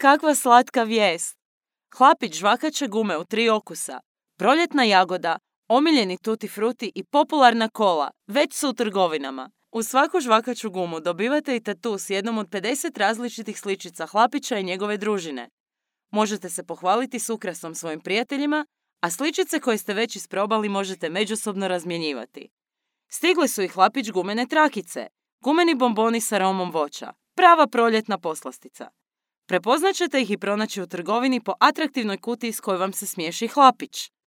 Kakva slatka vijest! Hlapić žvakaće gume u 3 okusa, proljetna jagoda, omiljeni tutti frutti i popularna kola već su u trgovinama. U svaku žvakaću gumu dobivate i tatu s jednom od 50 različitih sličica Hlapića i njegove družine. Možete se pohvaliti s ukrasom svojim prijateljima, a sličice koje ste već isprobali možete međusobno razmjenjivati. Stigle su i Hlapić gumene trakice, gumeni bomboni s aromom voća, prava proljetna poslastica. Prepoznat ćete ih i pronaći u trgovini po atraktivnoj kutiji s kojoj vam se smiješi Hlapić.